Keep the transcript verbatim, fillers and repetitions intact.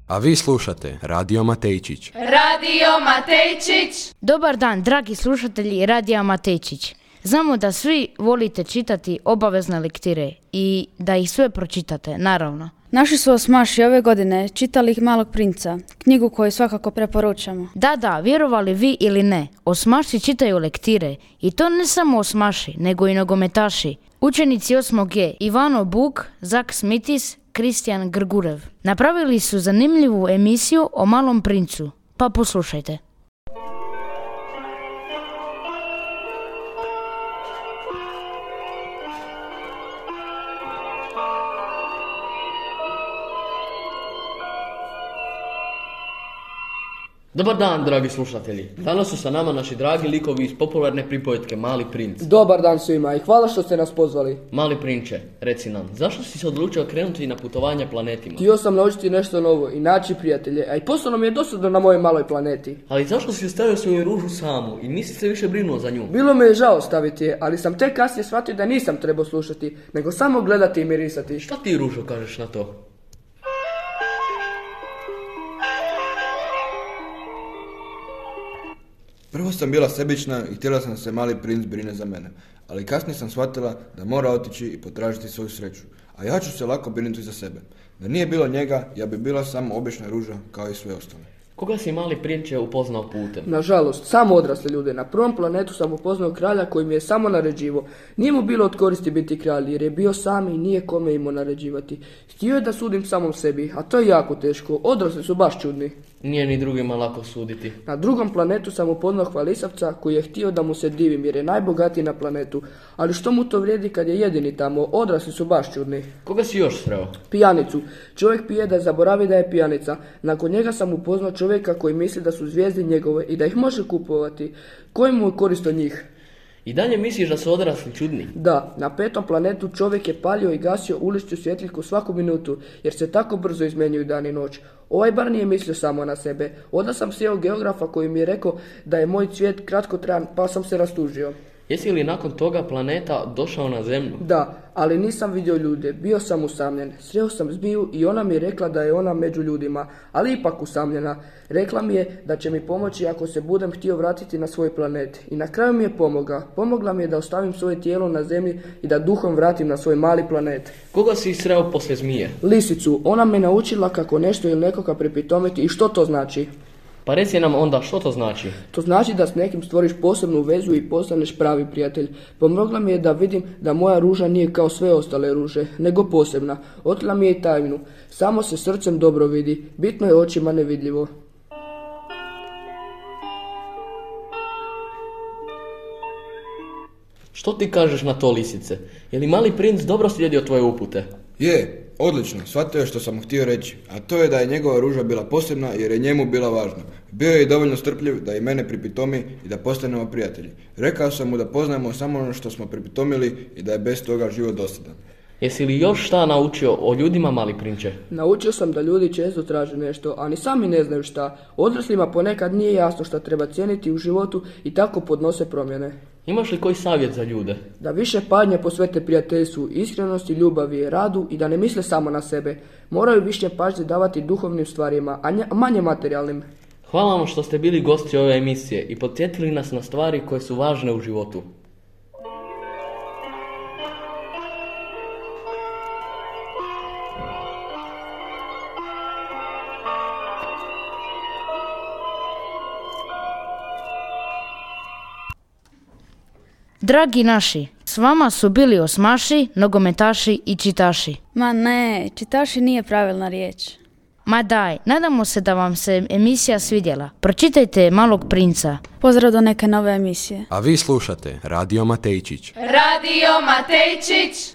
A vi slušate Radio Matejčić. Radio Matejčić! Dobar dan, dragi slušatelji Radija Matejčić. Znamo da svi volite čitati obavezne lektire i da ih sve pročitate, naravno. Naši su osmaši ove godine čitali Malog princa, knjigu koju svakako preporučamo. Da, da, vjerovali vi ili ne, osmaši čitaju lektire i to ne samo osmaši, nego i nogometaši. Učenici osmog G, Ivano Buk, Zak Smitis, Kristijan Grgurev. Napravili su zanimljivu emisiju o Malom princu, pa poslušajte. Dobar dan, dragi slušatelji. Danas su sa nama naši dragi likovi iz popularne pripovetke Mali princ. Dobar dan svima i hvala što ste nas pozvali. Mali prinče, reci nam, zašto si se odlučio krenuti na putovanje planetima? Htio sam naučiti nešto novo i naći prijatelje, a i posebno mi je dosadno na mojoj maloj planeti. Ali zašto si ostavio svoju ružu samu i nisi se više brinuo za nju? Bilo me je žao staviti je, ali sam tek kasnije shvatio da nisam trebao slušati, nego samo gledati i mirisati. Šta ti, Ružo, kažeš na to? Prvo sam bila sebična i htjela sam se Mali princ brine za mene, ali kasnije sam shvatila da mora otići i potražiti svoju sreću, a ja ću se lako brinuti za sebe. Da nije bilo njega, ja bi bila samo obična ruža kao i sve ostale. Koga si, Mali prinče, upoznao putem? Nažalost, samo odrasle ljude. Na prvom planetu sam upoznao kralja koji mi je samo naređivo. Nije mu bilo od koristi biti kralj jer je bio sam i nije kome imao naređivati. Htio je da sudim samom sebi, a to je jako teško. Odrasli su baš čudni. Nije ni drugima lako suditi. Na drugom planetu sam upoznao hvalisavca koji je htio da mu se divim jer je najbogatiji na planetu. Ali što mu to vrijedi kad je jedini tamo? Odrasli su baš čudni. Koga si još sreo? Pijanicu. Čovjek pije da zaboravi da je pijanica. Nakon njega sam upoznao čovjeka koji misli da su zvijezde njegove i da ih može kupovati. Koji mu je korist od njih? I dalje misliš da su odrasli čudni? Da, na petom planetu čovjek je palio i gasio uličnu svjetiljku svaku minutu, jer se tako brzo izmjenjuju dan i noć. Ovaj bar nije mislio samo na sebe. Onda sam sjeo geografa koji mi je rekao da je moj cvijet kratkotrajan, pa sam se rastužio. Jesi li nakon toga planeta došao na zemlju? Da, ali nisam vidio ljude, bio sam usamljen. Sreo sam zmiju i ona mi je rekla da je ona među ljudima, ali ipak usamljena. Rekla mi je da će mi pomoći ako se budem htio vratiti na svoj planet. I na kraju mi je pomogla. Pomogla mi je da ostavim svoje tijelo na zemlji i da duhom vratim na svoj mali planet. Koga si sreo poslije zmije? Lisicu. Ona me naučila kako nešto ili nekoga pripitomiti i što to znači. Pa reci nam onda što to znači? To znači da s nekim stvoriš posebnu vezu i postaneš pravi prijatelj. Pomogla mi je da vidim da moja ruža nije kao sve ostale ruže, nego posebna. Otkrila mi je i tajnu. Samo se srcem dobro vidi, bitno je očima nevidljivo. Što ti kažeš na to, Lisice? Je li Mali princ dobro slijedio tvoje upute? Je, odlično, shvatio je što sam mu htio reći, a to je da je njegova ruža bila posebna jer je njemu bila važna. Bio je i dovoljno strpljiv da i mene pripitomi i da postanemo prijatelji. Rekao sam mu da poznajemo samo ono što smo pripitomili i da je bez toga život dosadan. Jesi li još šta naučio o ljudima, Mali prinče? Naučio sam da ljudi često traže nešto, a ni sami ne znaju šta. Odraslima ponekad nije jasno šta treba cijeniti u životu i tako podnose promjene. Imaš li koji savjet za ljude? Da više pažnje posvete prijateljstvu, iskrenosti, ljubavi, radu i da ne misle samo na sebe. Moraju više pažnje davati duhovnim stvarima, a manje materijalnim. Hvala vam što ste bili gosti ove emisije i podsjetili nas na stvari koje su važne u životu. Dragi naši, s vama su bili osmaši, nogometaši i čitaši. Ma ne, čitaši nije pravilna riječ. Ma daj, nadamo se da vam se emisija svidjela. Pročitajte Malog princa. Pozdrav do neke nove emisije. A vi slušate Radio Matejčić. Radio Matejčić!